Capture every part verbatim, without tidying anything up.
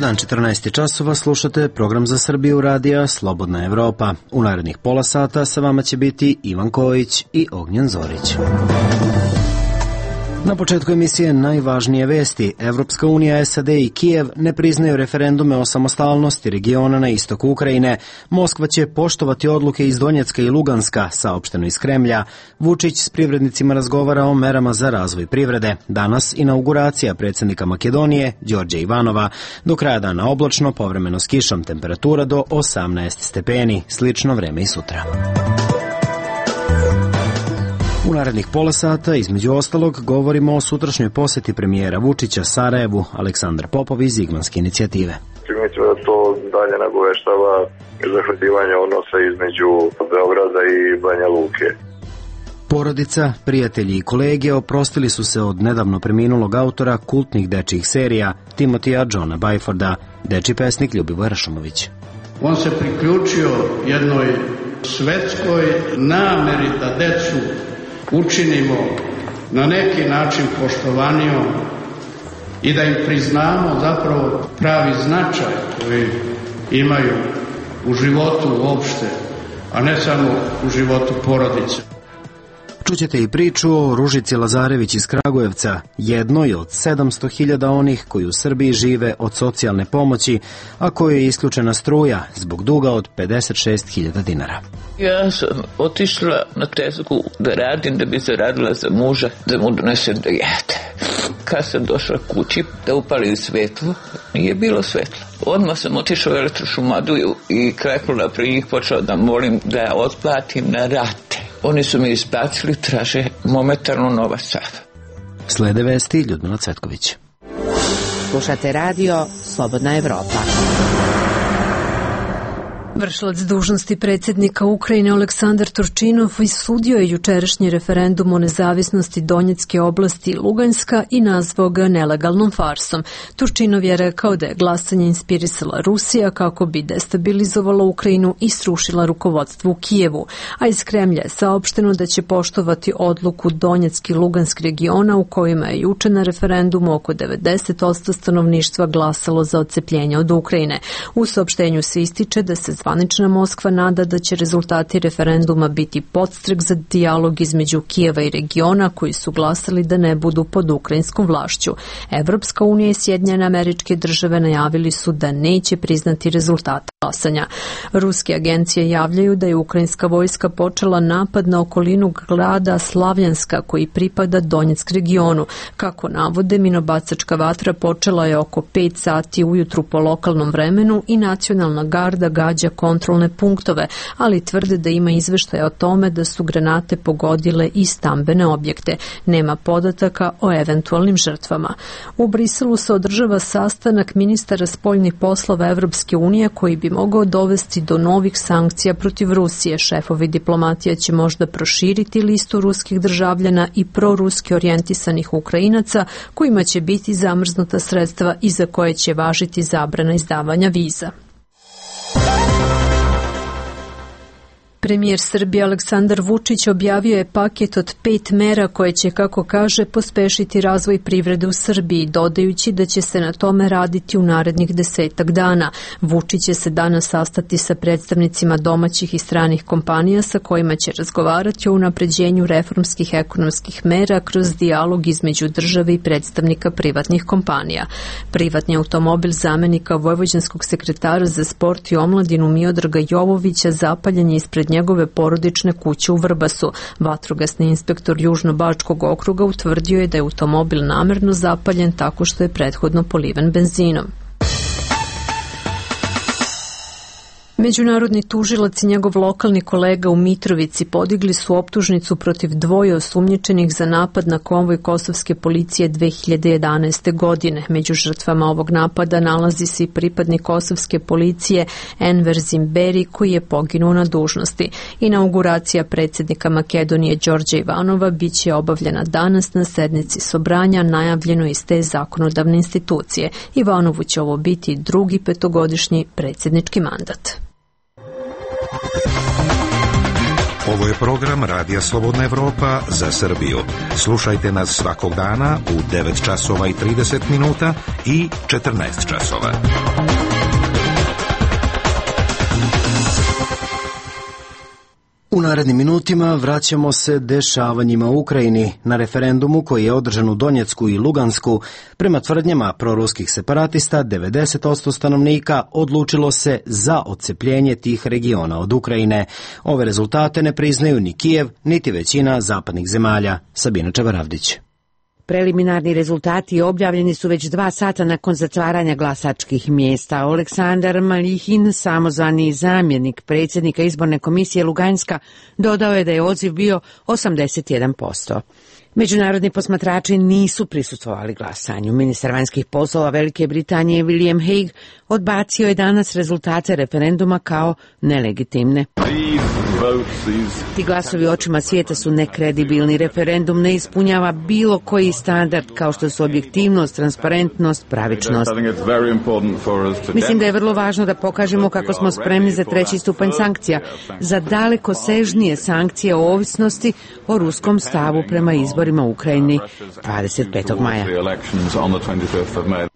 dan, četrnaest časova, slušate program za Srbiju radija Slobodna Evropa. U narednih pola sata sa vama će biti Ivan Kojić i Ognjen Zorić. Na početku emisije najvažnije vesti. Evropska unija, S A D i Kijev ne priznaju referendume o samostalnosti regiona na istoku Ukrajine. Moskva će poštovati odluke iz Donjecka i Luganska, saopšteno iz Kremlja. Vučić s privrednicima razgovara o merama za razvoj privrede. Danas inauguracija predsjednika Makedonije, Đorđa Ivanova. Do kraja dana oblačno, povremeno s kišom, temperatura do osamnaest stepeni. Slično vreme i sutra. U narednih pola sata, između ostalog, govorimo o sutrašnjoj posjeti premijera Vučića Sarajevu, Aleksandar Popov iz Zigmanske inicijative. Mislim da to dalje nagoveštava zahvativanje odnosa između Beograda i Banja Luke. Porodica, prijatelji i kolege oprostili su se od nedavno preminulog autora kultnih dečjih serija Timotija Johna Byforda, dečji pesnik Ljubivoj Rašomović. On se priključio jednoj svetskoj nameri da decu učinimo na neki način poštovanijom i da im priznamo zapravo pravi značaj koji imaju u životu uopšte, a ne samo u životu porodice. Čućete i priču o Ružici Lazarević iz Kragujevca, jednoj od sedamsto hiljada onih koji u Srbiji žive od socijalne pomoći, a kojoj je isključena struja zbog duga od pedeset šest hiljada dinara. Ja sam otišla na tezgu da radim, da bi zaradila za muža, da mu donesem da jede. Kad sam došla kući da upalim svetlo, nije bilo svetla. Odmah sam otišla u elektrošumadu i kleknula pri njih, počela da molim da ja otplatim na rate. Oni su mi isplatili, traže momentalno novac sad. Slede vesti Ljudmila Cvetković. Slušate radio Slobodna Evropa. Vršilac dužnosti predsjednika Ukrajine Aleksandar Turčinov isudio je jučerašnji referendum o nezavisnosti Donjecke oblasti i Luganska i nazvao ga nelegalnom farsom. Turčinov je rekao da je glasanje inspirisala Rusija kako bi destabilizovala Ukrajinu i srušila rukovodstvo u Kijevu, a iz Kremlja je saopšteno da će poštovati odluku Donjecki i Lugansk regiona u kojima je juče na referendumu oko devedeset posto stanovništva glasalo za odcepljenje od Ukrajine. U saopštenju se ističe da se zvanična Moskva nada da će rezultati referenduma biti podstrek za dijalog između Kijeva i regiona koji su glasali da ne budu pod ukrajinskom vlašću. Evropska unija i Sjedinjene Američke Države najavili su da neće priznati rezultate glasanja. Ruske agencije javljaju da je ukrajinska vojska počela napad na okolinu grada Slavjanska koji pripada Donjeck regionu. Kako navode, minobacačka vatra počela je oko pet sati ujutru po lokalnom vremenu i nacionalna garda gađa kontrolne punktove, ali tvrde da ima izveštaja o tome da su granate pogodile i stambene objekte. Nema podataka o eventualnim žrtvama. U Briselu se održava sastanak ministara spoljnih poslova Evropske unije koji bi mogao dovesti do novih sankcija protiv Rusije. Šefovi diplomatija će možda proširiti listu ruskih državljana i proruski orijentisanih Ukrajinaca kojima će biti zamrznuta sredstva i za koje će važiti zabrana izdavanja viza. Premijer Srbije Aleksandar Vučić objavio je paket od pet mera koje će, kako kaže, pospešiti razvoj privrede u Srbiji, dodajući da će se na tome raditi u narednih desetak dana. Vučić će se danas sastati sa predstavnicima domaćih i stranih kompanija sa kojima će razgovarati o unapređenju reformskih ekonomskih mera kroz dijalog između države i predstavnika privatnih kompanija. Privatni automobil zamenika vojvođanskog sekretara za sport i omladinu Miodraga Jovovića zapaljen je ispred njegove porodične kuće u Vrbasu. Vatrogasni inspektor Južno-Bačkog okruga utvrdio je da je automobil namerno zapaljen tako što je prethodno poliven benzinom. Međunarodni tužilac i njegov lokalni kolega u Mitrovici podigli su optužnicu protiv dvoje osumnjičenih za napad na konvoj kosovske policije dve hiljade jedanaeste. godine. Među žrtvama ovog napada nalazi se i pripadnik kosovske policije Enver Zimberi koji je poginuo na dužnosti. Inauguracija predsjednika Makedonije Đorđa Ivanova biće obavljena danas na sednici Sobranja, najavljeno iz te zakonodavne institucije. Ivanovu će ovo biti drugi petogodišnji predsjednički mandat. Ovo je program Radija Slobodna Evropa za Srbiju. Slušajte nas svakog dana u devet časova i trideset minuta i četrnaest časova. U narednim minutima vraćamo se dešavanjima u Ukrajini. Na referendumu koji je održan u Donjecku i Lugansku, prema tvrdnjama proruskih separatista, devedeset posto stanovnika odlučilo se za odcepljenje tih regiona od Ukrajine. Ove rezultate ne priznaju ni Kijev, niti većina zapadnih zemalja. Sabina Čevaravdić. Preliminarni rezultati objavljeni su već dva sata nakon zatvaranja glasačkih mjesta. Oleksandar Maljihin, samozvani zamjenik predsjednika izborne komisije Luganska, dodao je da je odziv bio osamdeset jedan posto. Međunarodni posmatrači nisu prisustvovali glasanju. Ministar vanjskih poslova Velike Britanije William Hague odbacio je danas rezultate referenduma kao nelegitimne. Ti glasovi očima svijeta su nekredibilni. Referendum ne ispunjava bilo koji standard kao što su objektivnost, transparentnost, pravičnost. Mislim da je vrlo važno da pokažemo kako smo spremni za treći stupanj sankcija, za daleko sežnije sankcije o ovisnosti o ruskom stavu prema izborima u Ukrajini dvadeset petog maja.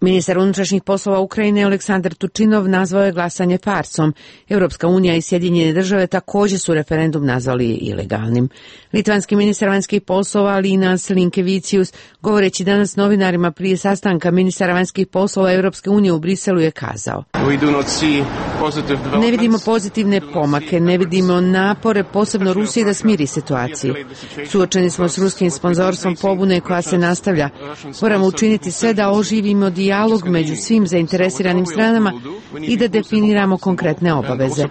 Ministar unutrašnjih poslova Ukrajine Aleksandar Turčinov nazvao je glasanje farsom. Europska unija i Sjedinjene države također su referendum nazvali ilegalnim. Litvanski ministar vanjskih poslova Linas Linkevicius, govoreći danas novinarima prije sastanka ministara vanjskih poslova Europske unije u Briselu, je kazao: ne vidimo pozitivne pomake, ne vidimo napore, posebno Rusije, da smiri situaciju. Suočeni smo s ruskim sponzorstvom pobune koja se nastavlja. Moramo učiniti sve da oživimo dijalog među svim zainteresiranim stranama i da definiramo konkretne obaveze.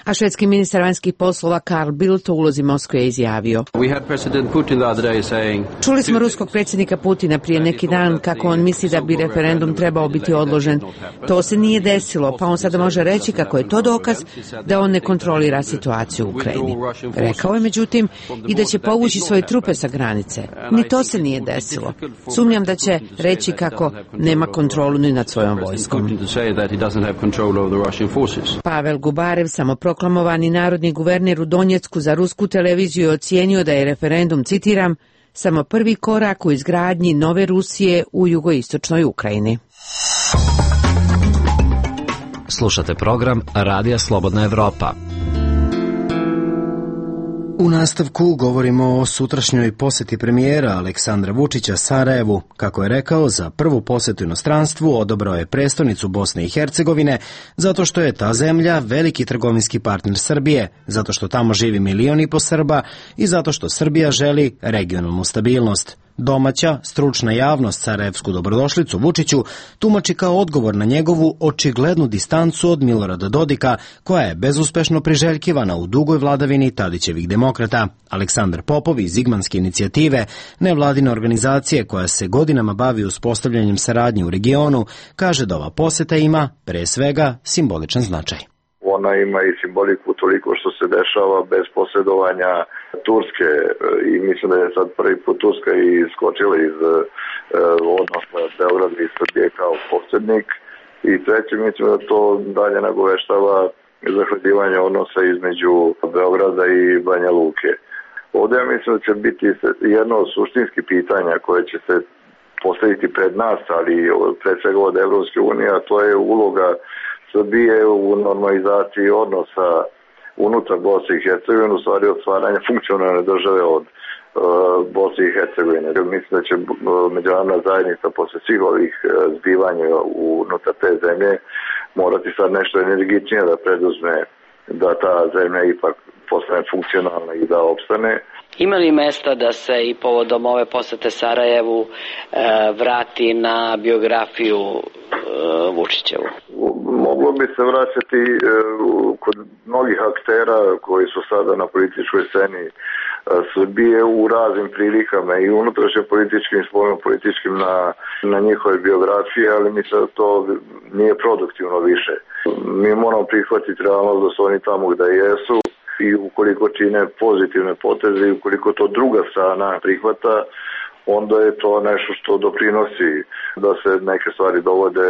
A švedski ministar vanjskih poslova Carl Bildt u ulozi Moskve je izjavio: čuli smo ruskog predsjednika Putina prije neki dan kako on misli da bi referendum trebao biti odložen. To se nije desilo, pa on sada može reći kako je to dokaz da on ne kontrolira situaciju u Ukrajini. Rekao je međutim i da će povući svoje trupe sa granice. Ni to se nije desilo. Sumnjam da će reći kako nema kontrolu ni nad svojom vojskom. Pavel Gubarev, samoproklamovani narodni guverner u Donjecku, za rusku televiziju je ocijenio da je referendum, citiram, samo prvi korak u izgradnji nove Rusije u jugoistočnoj Ukrajini. Slušate program Radija Slobodna Evropa. U nastavku govorimo o sutrašnjoj posjeti premijera Aleksandra Vučića Sarajevu. Kako je rekao, za prvu posjetu inostranstvu odabrao je prestonicu Bosne i Hercegovine zato što je ta zemlja veliki trgovinski partner Srbije, zato što tamo živi milion i po Srba i zato što Srbija želi regionalnu stabilnost. Domaća, stručna javnost sarajevsku dobrodošlicu Vučiću tumači kao odgovor na njegovu očiglednu distancu od Milorada Dodika, koja je bezuspešno priželjkivana u dugoj vladavini Tadićevih demokrata. Aleksandar Popov iz Zigmanske inicijative, nevladine organizacije koja se godinama bavi uspostavljanjem saradnje u regionu, kaže da ova posjeta ima, pre svega, simboličan značaj. Ona ima i simboliku toliko što se dešava bez posredovanja Turske i mislim da je sad prvi put Turska i iskočila iz e, odnosa Beograda i Srbije kao posrednik. I treće, mislim da to dalje nagoveštava zahvaljivanje odnosa između Beograda i Banja Luke. Ovdje ja mislim da će biti jedno od suštinskih pitanja koje će se postaviti pred nas, ali pred svega od Evropske unije, a to je uloga Srbije u normalizaciji odnosa unutar Bosne i Hercegovine, u stvari od stvaranja funkcionalne države od uh, Bosne i Hercegovine. Mislim da će uh, međunarodna zajednica posle svih ovih uh, zbivanja unutar te zemlje morati sad nešto energičnije da preduzme da ta zemlja ipak postane funkcionalna i da opstane. Ima li mesta da se i povodom ove posete Sarajevu e, vrati na biografiju e, Vučićevu? Moglo bi se vraćati e, kod mnogih aktera koji su sada na političkoj sceni e, Srbije u raznim prilikama i unutrašnje političkim i spoljno političkim na, na njihove biografije, ali mislim da to nije produktivno više. Mi moramo prihvatiti realnost da su oni tamo gde jesu i ukoliko čine pozitivne poteze i ukoliko to druga strana prihvata, onda je to nešto što doprinosi da se neke stvari dovode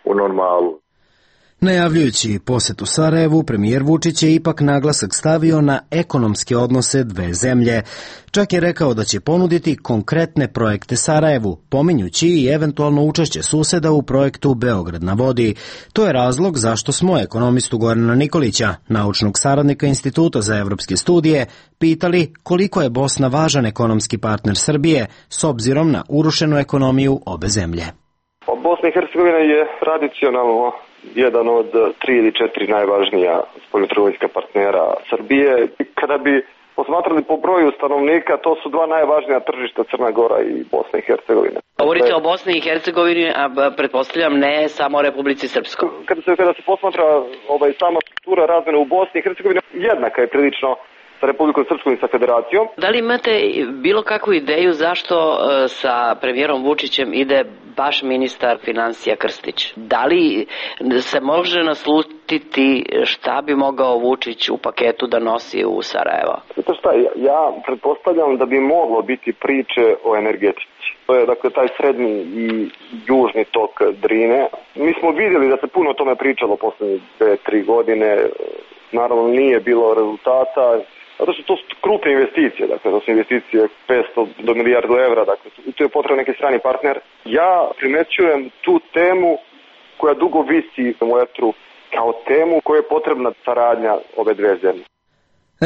u normalu. Najavljujući posetu Sarajevu, premijer Vučić je ipak naglasak stavio na ekonomske odnose dve zemlje. Čak je rekao da će ponuditi konkretne projekte Sarajevu, pominjući i eventualno učešće suseda u projektu Beograd na vodi. To je razlog zašto smo ekonomistu Gorana Nikolića, naučnog saradnika Instituta za evropske studije, pitali koliko je Bosna važan ekonomski partner Srbije s obzirom na urušenu ekonomiju obe zemlje. Bosna i Hercegovina je tradicionalno jedan od tri ili četiri najvažnija spoljnotrgovinska partnera Srbije. Kada bi posmatrali po broju stanovnika, to su dva najvažnija tržišta, Crna Gora i Bosna i Hercegovina. Govorite o Bosni i Hercegovini, a pretpostavljam ne samo o Republici Srpskoj. Kada se, kada se posmatra ovaj, sama struktura razmene u Bosni i Hercegovini, jednaka je prilično sa Republikom Srpskom i sa Federacijom. Da li imate bilo kakvu ideju zašto sa premijerom Vučićem ide baš ministar financija Krstić? Da li se može naslutiti šta bi mogao Vučić u paketu da nosi u Sarajevo? Znate šta, ja, ja pretpostavljam da bi moglo biti priče o energetici. To je dakle taj srednji i južni tok Drine. Mi smo vidjeli da se puno o tome pričalo poslednje dve, tri godine. Naravno nije bilo rezultata. Zato što to su krupne investicije, dakle to su investicije petsto do milijardu evra, dakle tu je potreban neki strani partner. Ja primećujem tu temu koja dugo visi u etru kao temu koja je potrebna saradnja ove dve zemlje.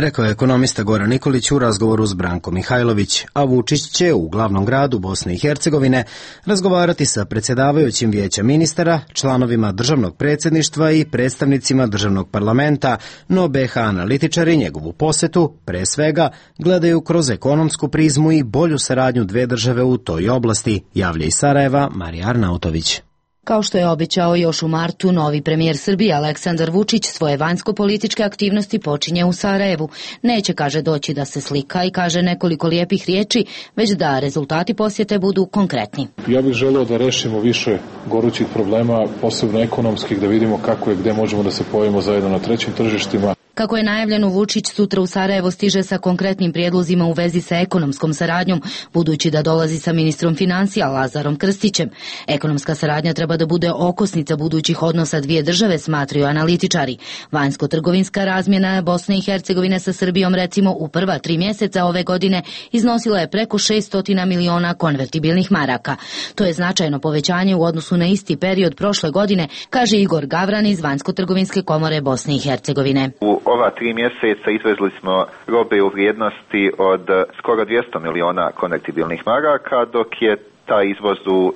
Rekao je ekonomista Goran Nikolić u razgovoru s Brankom Mihajlović, a Vučić će u glavnom gradu Bosne i Hercegovine razgovarati sa predsjedavajućim vijeća ministara, članovima državnog predsjedništva i predstavnicima državnog parlamenta, no B H analitičari njegovu posetu, pre svega, gledaju kroz ekonomsku prizmu i bolju saradnju dve države u toj oblasti, javlja iz Sarajeva Marija Arnautović. Kao što je obećao još u martu, novi premijer Srbije Aleksandar Vučić svoje vanjsko-političke aktivnosti počinje u Sarajevu. Neće, kaže, doći da se slika i kaže nekoliko lijepih riječi, već da rezultati posjete budu konkretni. Ja bih želeo da rešimo više gorućih problema, posebno ekonomskih, da vidimo kako i gde možemo da se pojavimo zajedno na trećim tržištima. Kako je najavljeno, Vučić sutra u Sarajevo stiže sa konkretnim prijedlozima u vezi sa ekonomskom saradnjom, budući da dolazi sa ministrom financija Lazarom Krstićem. Ekonomska saradnja treba da bude okosnica budućih odnosa dvije države, smatraju analitičari. Vanjsko-trgovinska razmjena Bosne i Hercegovine sa Srbijom, recimo, u prva tri mjeseca ove godine iznosila je preko šesto miliona konvertibilnih maraka. To je značajno povećanje u odnosu na isti period prošle godine, kaže Igor Gavran iz Vanjsko-trgovinske komore Bosne i Hercegovine. Ova tri mjeseca izvezli smo robe u vrijednosti od skoro dvjesto miliona konvertibilnih maraka, dok je taj izvoz u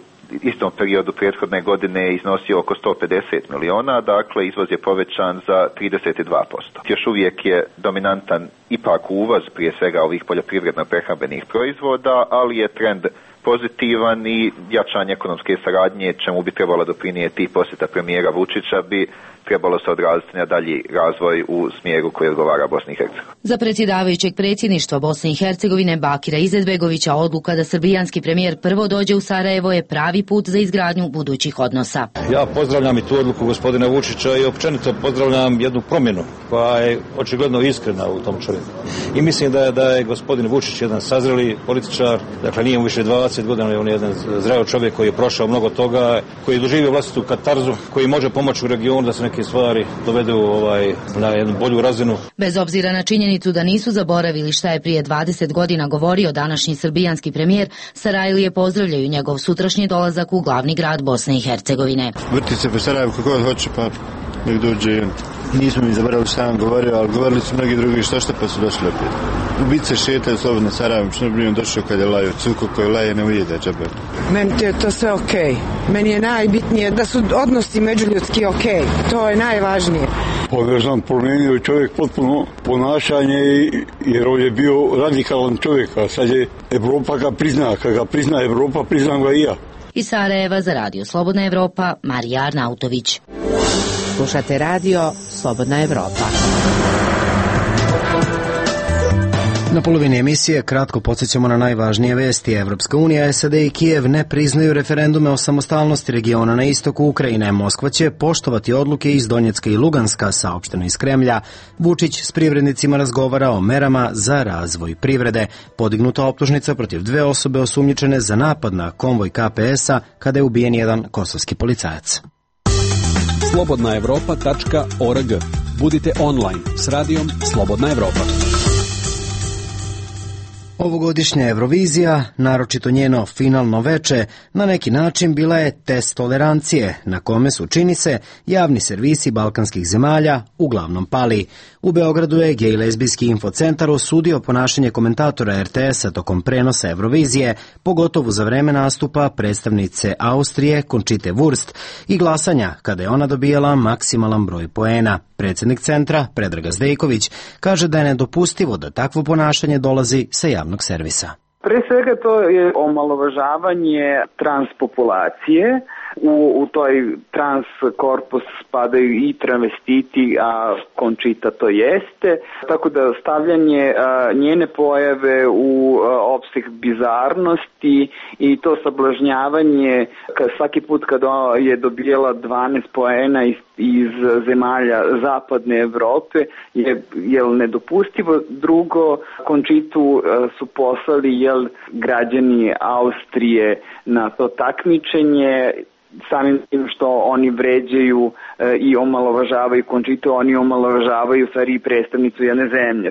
istom periodu prethodne godine iznosio oko sto pedeset miliona, dakle izvoz je povećan za trideset dva posto. Još uvijek je dominantan ipak uvoz prije svega ovih poljoprivredno-prehrambenih proizvoda, ali je trend pozitivan i jačanje ekonomske saradnje, čemu bi trebalo doprinijeti posjeta premijera Vučića, bi trebalo se odraziti na dalji razvoj u smjeru koji odgovara Bosni i Hercegovini. Za predsjedavajućeg predsjedništva Bosne i Hercegovine Bakira Izetbegovića odluka da srbijanski premijer prvo dođe u Sarajevo je pravi put za izgradnju budućih odnosa. Ja pozdravljam i tu odluku gospodina Vučića i općenito pozdravljam jednu promjenu koja je očigledno iskrena u tom čovjeku. I mislim da je, da je gospodin Vučić jedan sazreli političar, dakle nije mu više dvadeset godina, on je jedan zreo čovjek koji je prošao mnogo toga, koji je doživio vlastitu katarzu, koji može pomoći u regionu da se neke stvari dovedu ovaj, na jednu bolju razinu. Bez obzira na činjenicu da nisu zaboravili šta je prije dvadeset godina govorio današnji srbijanski premijer, Sarajlije pozdravljaju njegov sutrašnji dolazak u glavni grad Bosne i Hercegovine. Vrti se po Sarajevu kako god hoće, pa nek dođe i on. Nismo mi zaboravili šta vam govorio, ali govorili su mnogi drugi što što pa su došli opet. Ubice šetaju slobodno Sarajevom, što bi on došao kad je laju, cuko koji laje ne ujede džabe. Meni je to sve okej. Okay. Meni je najbitnije da su odnosi međuljudski okej. Okay. To je najvažnije. Pogrešan promijenio čovjek potpuno ponašanje, jer on je bio radikalan čovjek, a sad je Evropa ga prizna, kad ga prizna Evropa, priznam ga i ja. Iz Sarajeva za radio Slobodna Evropa, Marija Arnautović. Slušate radio Slobodna Evropa. Na polovini emisije kratko podsjećamo na najvažnije vesti. Evropska unija, S A D i Kijev ne priznaju referendume o samostalnosti regiona na istoku Ukrajine. Moskva će poštovati odluke iz Donjecka i Luganska, saopšteno iz Kremlja. Vučić s privrednicima razgovara o merama za razvoj privrede. Podignuta optužnica protiv dve osobe osumnjičene za napad na konvoj K P S-a kada je ubijen jedan kosovski policajac. slobodna evropa tačka org. Budite online s radijom Slobodna Evropa. Ovogodišnja Eurovizija, naročito njeno finalno veče, na neki način bila je test tolerancije, na kome su, čini se, javni servisi balkanskih zemalja uglavnom pali. U Beogradu je Gej lezbijski infocentar osudio ponašanje komentatora er te esa tokom prenosa Eurovizije, pogotovo za vreme nastupa predstavnice Austrije Conchite Wurst i glasanja kada je ona dobijala maksimalan broj poena. Predsjednik centra, Predrag Zdejković, kaže da je nedopustivo da takvo ponašanje dolazi sa javnog servisa. Pre svega to je omalovažavanje transpopulacije. U, u toj trans korpus spadaju i travestiti, a Conchita to jeste. Tako da stavljanje a, njene pojave u a, opseg bizarnosti i to sablažnjavanje ka, svaki put kada je dobijela dvanaest poena iz, iz zemalja zapadne Evrope je, je nedopustivo. Drugo, Conchitu a, su poslali jel, građani Austrije na to takmičenje, samim tim što oni vređaju e, i omalovažavaju Conchitu, oni omalovažavaju stvari i predstavnicu jedne zemlje.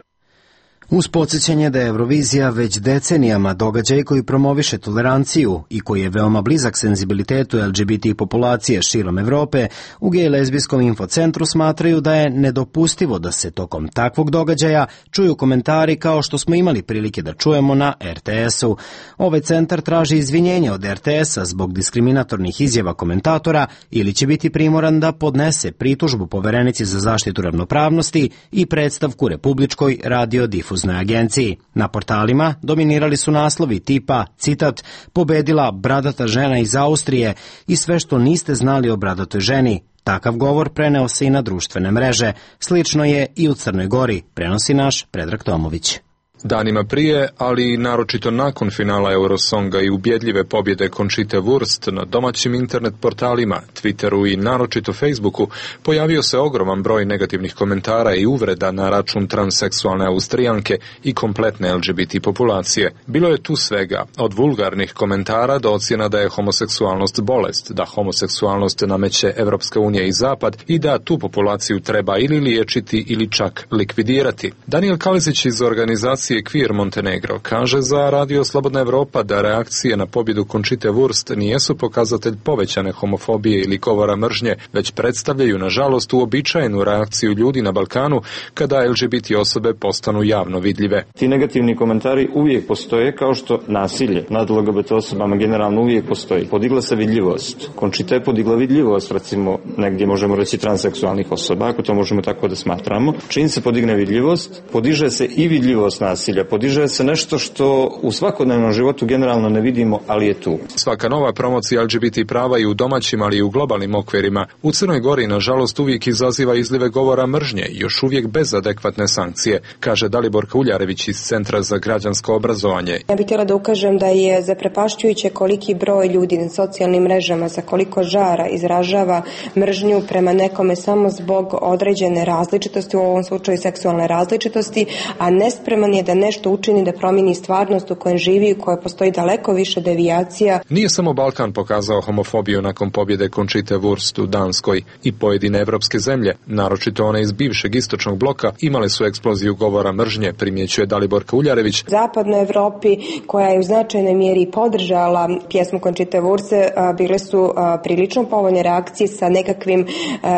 Uz podsjećanje da je Eurovizija već decenijama događaj koji promoviše toleranciju i koji je veoma blizak senzibilitetu el ge be te populacije širom Evrope, u Gej lezbijskom infocentru smatraju da je nedopustivo da se tokom takvog događaja čuju komentari kao što smo imali prilike da čujemo na er te esu. Ovaj centar traži izvinjenje od er te esa zbog diskriminatornih izjava komentatora ili će biti primoran da podnese pritužbu Poverenici za zaštitu ravnopravnosti i predstavku Republičkoj radiodifuznoj agenciji. Na portalima dominirali su naslovi tipa, citat, pobedila bradata žena iz Austrije i sve što niste znali o bradatoj ženi. Takav govor preneo se i na društvene mreže. Slično je i u Crnoj Gori, prenosi naš Predrag Tomović. Danima prije, ali i naročito nakon finala Eurosonga i ubjedljive pobjede Conchite Wurst na domaćim internet portalima, Twitteru i naročito Facebooku, pojavio se ogroman broj negativnih komentara i uvreda na račun transseksualne Austrijanke i kompletne el ge be te populacije. Bilo je tu svega, od vulgarnih komentara do ocjena da je homoseksualnost bolest, da homoseksualnost nameće Evropska unija i Zapad i da tu populaciju treba ili liječiti ili čak likvidirati. Daniel Kalizić iz organizacije Queer Montenegro kaže za Radio Slobodna Evropa da reakcije na pobjedu Conchite Wurst nijesu pokazatelj povećane homofobije ili govora mržnje, već predstavljaju nažalost uobičajenu reakciju ljudi na Balkanu kada el ge be te osobe postanu javno vidljive. Ti negativni komentari uvijek postoje, kao što nasilje nad el ge be te osobama generalno uvijek postoji. Podigla se vidljivost. Conchita je podigla vidljivost, recimo negdje možemo reći transseksualnih osoba, ako to možemo tako da smatramo. Čim se podigne vidljivost, podiže se i vidljivost nasilja. Podiže se nešto što u svakodnevnom životu generalno ne vidimo, ali je tu. Svaka nova promocija el ge be te prava i u domaćim, ali i u globalnim okvirima u Crnoj Gori nažalost uvijek izaziva izlive govora mržnje, još uvijek bez adekvatne sankcije, kaže Daliborka Uljarević iz Centra za građansko obrazovanje. Ja bih htjela da ukažem da je zaprepašćujuće koliki broj ljudi na socijalnim mrežama sa koliko žara izražava mržnju prema nekome samo zbog određene različitosti, u ovom slučaju seksualne različitosti, a nespreman je da nešto učini da promijeni stvarnost u kojem živi, u kojoj postoji daleko više devijacija. Nije samo Balkan pokazao homofobiju nakon pobjede Conchite Wurst u Danskoj. I pojedine evropske zemlje, naročito one iz bivšeg istočnog bloka, imale su eksploziju govora mržnje, primjećuje Daliborka Uljarević. Zapadnoj Evropi, koja je u značajnoj mjeri podržala pjesmu Conchite Wurst, bile su prilično povoljne reakcije sa nekakvim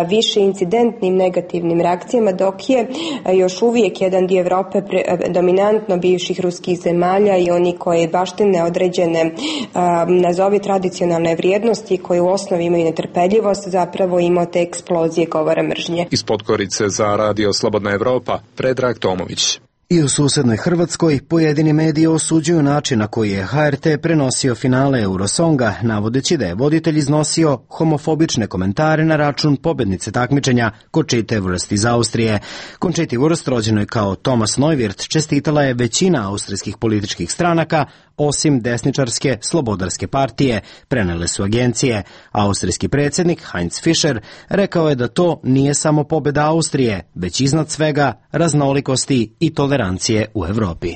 više incidentnim negativnim reakcijama, dok je još uvijek jedan dio Evrope dominantno bivših ruskih zemalja i oni koji baštine određene nazovi tradicionalne vrijednosti koje u osnovi imaju netrpeljivost, zapravo imao te eksplozije govora mržnje. Iz Podgorice za Radio Slobodna Evropa, Predrag Tomović. I u susednoj Hrvatskoj pojedini mediji osuđuju način na koji je ha er te prenosio finale Eurosonga, navodeći da je voditelj iznosio homofobične komentare na račun pobjednice takmičenja Conchite Wurst iz Austrije. Conchite Wurst, rođenoj kao Thomas Neuwirth, čestitala je većina austrijskih političkih stranaka, osim desničarske Slobodarske partije, prenele su agencije. Austrijski predsjednik Heinz Fischer rekao je da to nije samo pobjeda Austrije, već iznad svega raznolikosti i tolerancije u Evropi.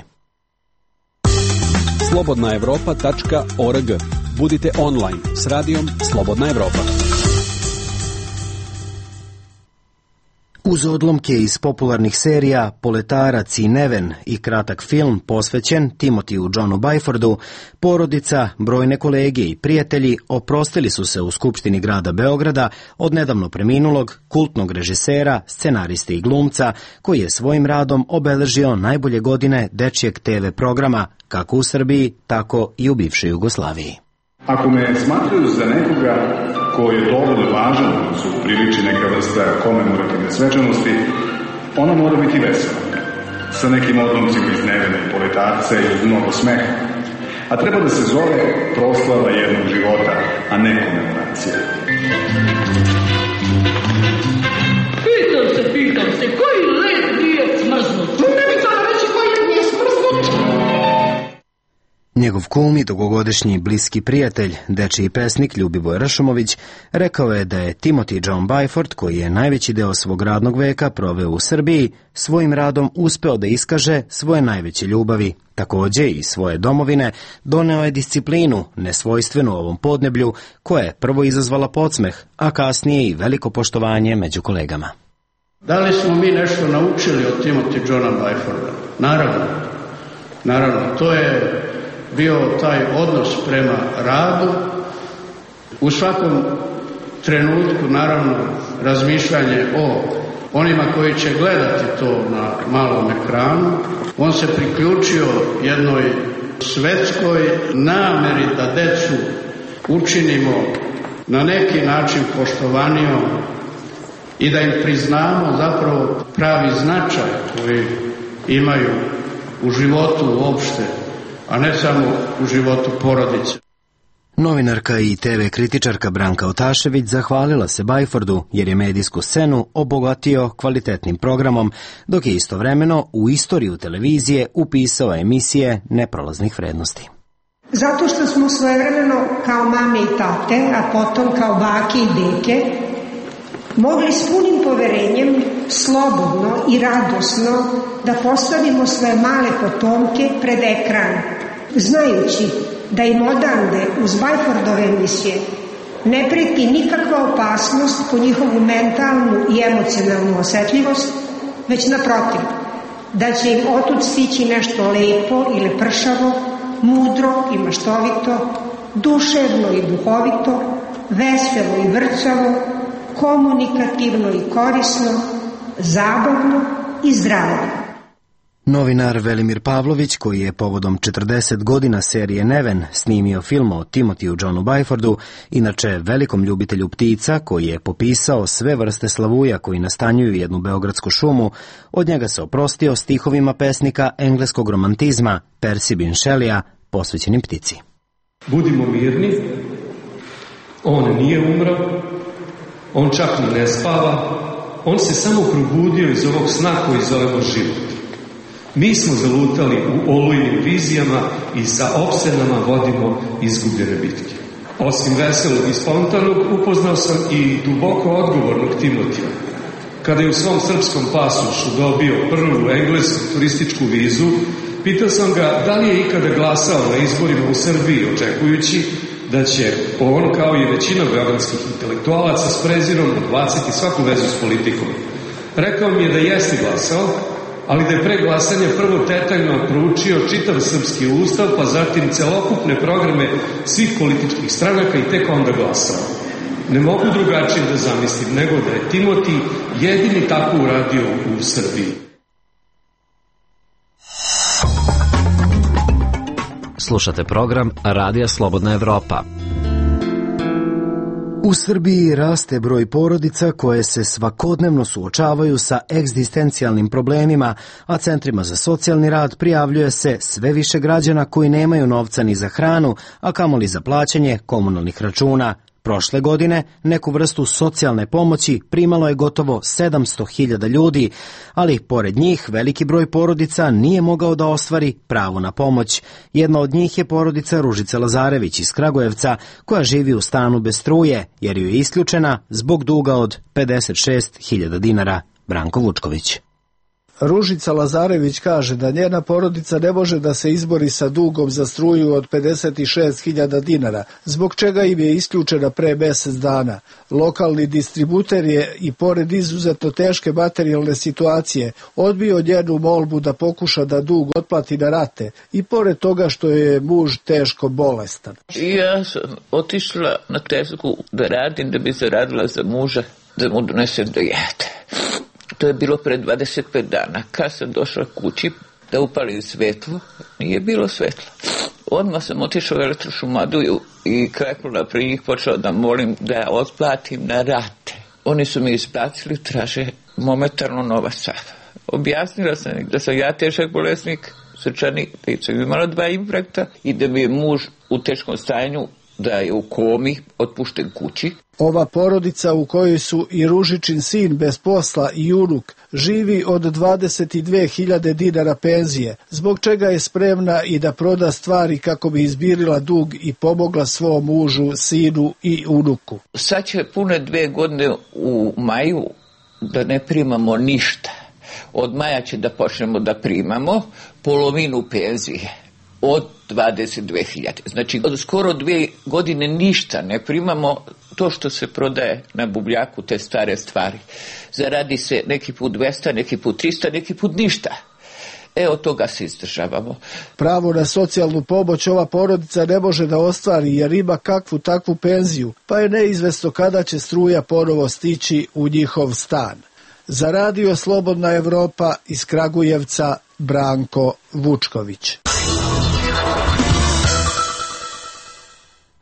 slobodna evropa tačka org. Budite online s radijom Slobodna Evropa. Uz odlomke iz popularnih serija Poletarac i Neven i kratak film posvećen Timotiju Johnu Byfordu, porodica, brojne kolege i prijatelji oprostili su se u Skupštini grada Beograda od nedavno preminulog kultnog režisera, scenariste i glumca koji je svojim radom obeležio najbolje godine dečijeg te ve programa kako u Srbiji, tako i u bivšoj Jugoslaviji. Ako me smatraju za nekoga ko je dovoljno važan, su priliči neka vrsta komemorativne svečanosti, ona mora biti vesela, sa nekim odlomcima iz Nevene i Poletarca i uz mnogo smeha, a treba da se zove proslava jednog života, a ne komemoracija. Pitam se, pitam se, koji led nije smrznut? Ne bi to reći koji led nije smrznut? Njegov kum i dugogodišnji bliski prijatelj, dečiji pesnik Ljubiboj Rašumović, rekao je da je Timothy John Byford, koji je najveći deo svog radnog veka proveo u Srbiji, svojim radom uspeo da iskaže svoje najveće ljubavi. Takođe i svoje domovine doneo je disciplinu, nesvojstvenu ovom podneblju, koja je prvo izazvala podsmeh, a kasnije i veliko poštovanje među kolegama. Da li smo mi nešto naučili od Timothy Johna Byforda? Naravno. Naravno, to je bio taj odnos prema radu, u svakom trenutku naravno razmišljanje o onima koji će gledati to na malom ekranu. On se priključio jednoj svetskoj nameri da decu učinimo na neki način poštovanijom i da im priznamo zapravo pravi značaj koji imaju u životu uopšte, a ne samo u životu porodice. Novinarka i te ve kritičarka Branka Otašević zahvalila se Byfordu jer je medijsku scenu obogatio kvalitetnim programom, dok je istovremeno u istoriju televizije upisao emisije neprolaznih vrednosti. Zato što smo svojevremeno kao mame i tate, a potom kao bake i deke, mogli s punim poverenjem, slobodno i radosno da postavimo svoje male potomke pred ekran, znajući da im odande uz Byfordove emisije ne preti nikakva opasnost po njihovu mentalnu i emocionalnu osetljivost, već naprotiv, da će im otud stići nešto lepo ili pršavo, mudro i maštovito, duševno i duhovito, veselo i vrcavo, komunikativno i korisno, zabavno i zdravo. Novinar Velimir Pavlović, koji je povodom četrdeset godina serije Neven snimio film o Timothyu Johnu Byfordu, inače velikom ljubitelju ptica koji je popisao sve vrste slavuja koji nastanjuju jednu beogradsku šumu, od njega se oprostio stihovima pesnika engleskog romantizma Percy Bysshe Shelleya posvećenim ptici. Budimo mirni, on nije umro, on čak ni ne spava, on se samo probudio iz ovog sna koji zovemo život. Mi smo zalutali u olujnim vizijama i sa opsenama vodimo izgubljene bitke. Osim veselog i spontanog, upoznao sam i duboko odgovornog Timotija. Kada je u svom srpskom pasošu dobio prvu englesku turističku vizu, pitao sam ga da li je ikada glasao na izborima u Srbiji, očekujući da će on, kao i većina beogradskih intelektualaca, s prezirom odbaciti svaku vezu s politikom. Rekao mi je da jeste glasao, ali da je pre glasanja prvo detaljno proučio čitav srpski ustav, pa zatim celokupne programe svih političkih stranaka i tek onda glasao. Ne mogu drugačije da zamislim nego da je Timoti jedini tako uradio u Srbiji. Slušate program Radija Slobodna Evropa. U Srbiji raste broj porodica koje se svakodnevno suočavaju sa egzistencijalnim problemima, a centrima za socijalni rad prijavljuje se sve više građana koji nemaju novca ni za hranu, a kamoli za plaćanje komunalnih računa. Prošle godine neku vrstu socijalne pomoći primalo je gotovo sedamsto hiljada ljudi, ali pored njih veliki broj porodica nije mogao da ostvari pravo na pomoć. Jedna od njih je porodica Ružice Lazarević iz Kragujevca, koja živi u stanu bez struje, jer ju je isključena zbog duga od pedeset šest hiljada dinara. Branko Vučković. Ružica Lazarević kaže da njena porodica ne može da se izbori sa dugom za struju od pedeset šest hiljada dinara, zbog čega im je isključena pre mjesec dana. Lokalni distributer je i pored izuzetno teške materijalne situacije odbio njenu molbu da pokuša da dug otplati na rate i pored toga što je muž teško bolestan. Ja sam otišla na tezgu da radim, da bi zaradila za muža, da mu donesem da jede. To je bilo pre dvadeset pet dana. Kad sam došla kući da upalim svetlo, nije bilo svetla. Odmah sam otišla u elektrošumaduju i kreknula pri njih, počela da molim da ja otplatim na rate. Oni su mi isplatili, traže momentalno novac. Objasnila sam da sam ja težak bolesnik, srčani, da sam imala dva infarkta i da mi je muž u teškom stanju, da je u komi, otpušten kući. Ova porodica u kojoj su i Ružičin sin bez posla i unuk živi od dvadeset dve hiljade dinara penzije, zbog čega je spremna i da proda stvari kako bi izbirila dug i pomogla svom mužu, sinu i unuku. Sad će pune dve godine u maju da ne primamo ništa. Od maja će da počnemo da primamo polovinu penzije. Od dvadeset dve hiljade. Znači, od skoro dve godine ništa ne primamo, to što se prodaje na bubljaku, te stare stvari. Zaradi se neki put dvesta, neki put trista, neki put ništa. E, od toga se izdržavamo. Pravo na socijalnu pomoć ova porodica ne može da ostvari jer ima kakvu takvu penziju, pa je neizvesno kada će struja ponovo stići u njihov stan. Za radio Slobodna Evropa iz Kragujevca, Branko Vučković.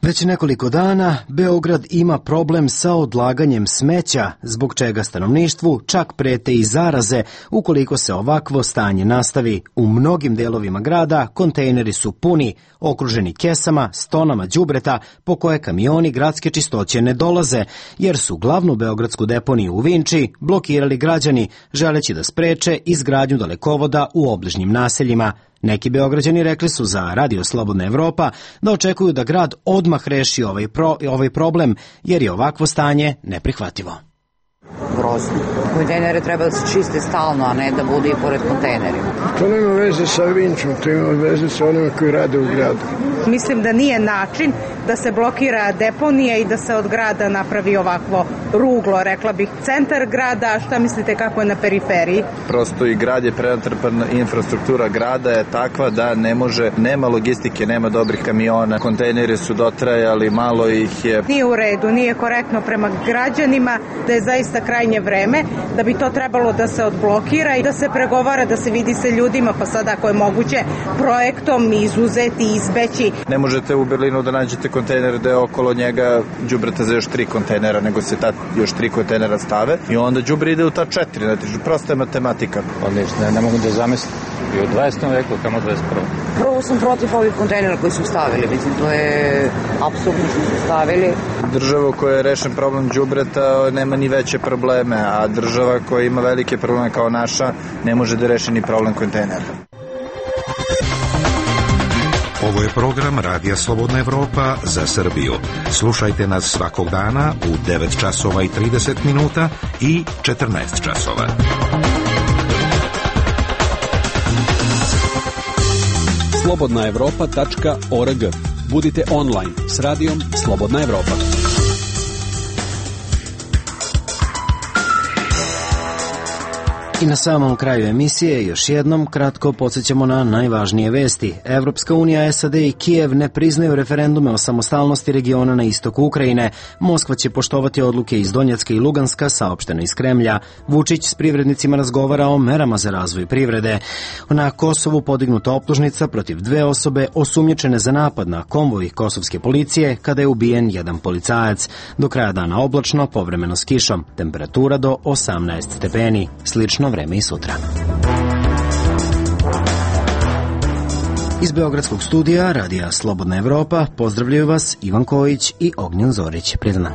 Već nekoliko dana Beograd ima problem sa odlaganjem smeća, zbog čega stanovništvu čak prete i zaraze ukoliko se ovakvo stanje nastavi. U mnogim delovima grada kontejneri su puni, okruženi kesama s tonama đubreta po koje kamioni gradske čistoće ne dolaze, jer su glavnu beogradsku deponiju u Vinči blokirali građani, želeći da spreče izgradnju dalekovoda u obližnjim naseljima. Neki Beograđani rekli su za Radio Slobodna Evropa da očekuju da grad odmah reši ovaj, pro, ovaj problem, jer je ovakvo stanje neprihvatljivo. Grozno. Kontejnere treba da se čiste stalno, a ne da bude i pored kontejnerima. To nema veze sa Vinčom, to ima veze sa onima koji rade u gradu. Mislim da nije način da se blokira deponija i da se od grada napravi ovakvo ruglo, rekla bih. Centar grada, šta mislite kako je na periferiji? Prosto i grad je prenatrpan, infrastruktura grada je takva da ne može, nema logistike, nema dobrih kamiona, kontejneri su dotrajali, malo ih je. Nije u redu, nije korektno prema građanima, da je zaista krajnje vreme, da bi to trebalo da se odblokira i da se pregovara, da se vidi sa ljudima, pa sad ako je moguće projektom izuzeti, izbeći. Ne možete u Berlinu da nađete kontejner da je okolo njega đubreta za još tri kontejnera, nego se ta još tri kontejnera stave i onda đubre ide u ta četiri, znači prosta je matematika. Odlično, ne, ne mogu da zamislim. I u dvadesetom veku, kamo dvadeset prvom. Prvo sam protiv ovih kontejnera koji su stavili, mislim, to je apsolutno što su stavili. Država koja je rešen problem đubreta nema ni veće probleme, a država koja ima velike probleme kao naša ne može da reši ni problem kontejnera. Ovo je program Radija Slobodna Evropa za Srbiju. Slušajte nas svakog dana u devet časova i trideset minuta i četrnaest časova. slobodna evropa tačka org. Budite online s radijom Slobodna Evropa. I na samom kraju emisije još jednom kratko podsjećamo na najvažnije vesti. Evropska unija, S A D i Kijev ne priznaju referendume o samostalnosti regiona na istoku Ukrajine. Moskva će poštovati odluke iz Donjecka i Luganska, saopšteno iz Kremlja. Vučić s privrednicima razgovara o merama za razvoj privrede. Na Kosovu podignuta optužnica protiv dve osobe osumnjičene za napad na konvoj kosovske policije kada je ubijen jedan policajac. Do kraja dana oblačno, povremeno s kišom. Temperatura do osamnaest stepeni. Slično vreme i sutra. Iz Beogradskog studija Radija Slobodna Evropa pozdravljaju vas Ivan Kojić i Ognjen Zorić. Prijatno.